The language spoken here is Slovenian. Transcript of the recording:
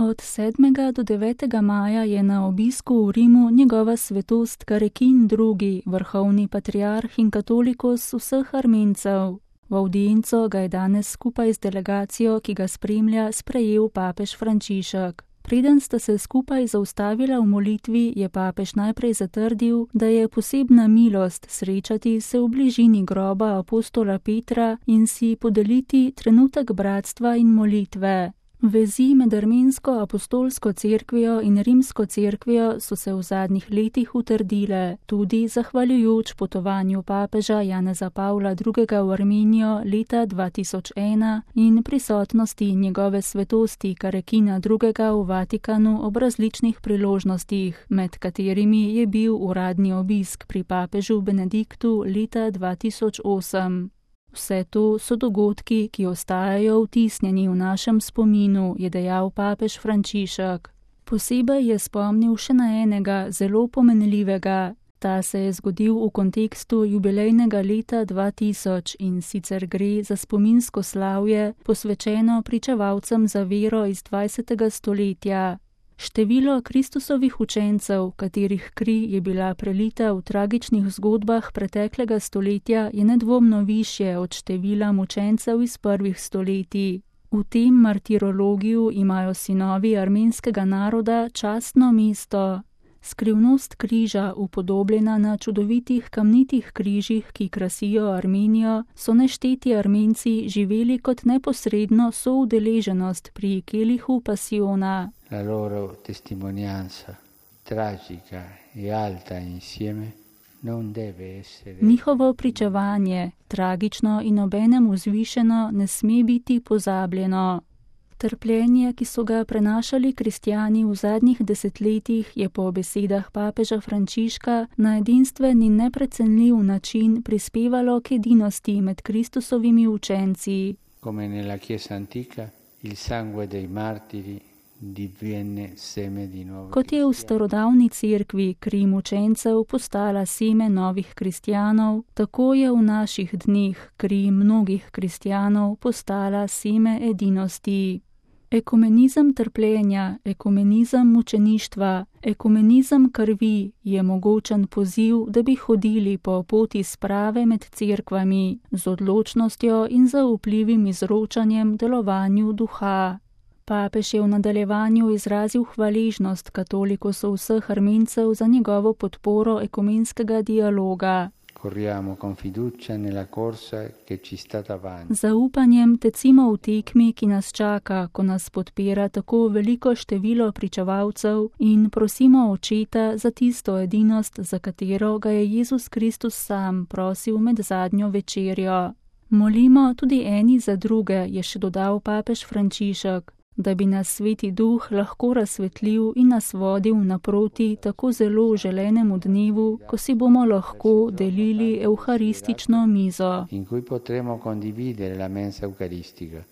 Od 7. do 9. maja je na obisku v Rimu njegova svetost Karekin II., vrhovni patriarh in katolikus vseh Armencev. V avdienco ga je danes skupaj z delegacijo, ki ga spremlja, sprejel papež Frančišek. Preden sta se skupaj zaustavila v molitvi, je papež najprej zatrdil, da je posebna milost srečati se v bližini groba apostola Petra in si podeliti trenutek bratstva in molitve. Vezi med armensko apostolsko cerkvijo in rimsko cerkvijo so se v zadnjih letih utrdile, tudi zahvaljujoč potovanju papeža Janeza Pavla II. V Armenijo leta 2001 in prisotnosti njegove svetosti Karekina II. V Vatikanu ob različnih priložnostih, med katerimi je bil uradni obisk pri papežu Benediktu leta 2008. Vse to so dogodki, ki ostajajo vtisnjeni v našem spominu, je dejal papež Frančišek. Posebej je spomnil še na enega zelo pomenljivega. Ta se je zgodil v kontekstu jubilejnega leta 2000 in sicer gre za spominsko slavje, posvečeno pričevalcem za vero iz 20. stoletja. Število Kristusovih učencev, katerih kri je bila prelita v tragičnih zgodbah preteklega stoletja, je nedvomno višje od števila mučencev iz prvih stoletij. V tem martirologiju imajo sinovi armenskega naroda častno mesto. Skrivnost križa, upodobljena na čudovitih kamnitih križih, ki krasijo Armenijo, so nešteti Armenci živeli kot neposredno soudeleženost pri kelihu pasiona. La loro testimonianza tragica e alta insieme non deve essere. Njihovo pričevanje, tragično in obenem vzvišeno, ne sme biti pozabljeno. Trpljenje, ki so ga prenašali kristjani v zadnjih desetletjih, je po besedah papeža Frančiška na edinstven in neprecenljiv način prispevalo k edinosti med Kristusovimi učenci. Come nella Chiesa antica, il sangue dei martiri diviene seme di nuovo. Kot je v starodavni cerkvi kri mučencev postala seme novih kristjanov, tako je v naših dneh kri mnogih kristjanov postala seme edinosti. Ekumenizem trpljenja, ekumenizem mučeništva, ekumenizem krvi je mogočen poziv, da bi hodili po poti sprave med cerkvami, z odločnostjo in zaupljivim izročanjem delovanju duha. Papež je v nadaljevanju izrazil hvaležnost katolikusov vseh Armencev za njegovo podporo ekumenskega dialoga. Corriamo con fiducia nella corsa che ci sta davanti. Zaupanjem tecimo v tekmi, ki nas čaka, ko nas podpira tako veliko število pričevalcev, in prosimo Očeta za tisto edinost, za katero ga je Jezus Kristus sam prosil med zadnjo večerjo. Molimo tudi eni za druge, je še dodal papež Frančišek, da bi nas Sveti Duh lahko razsvetlil in nas vodil naproti tako zelo želenemu dnevu, ko si bomo lahko delili evharistično mizo. In cui potremo condividere la mensa eucaristica.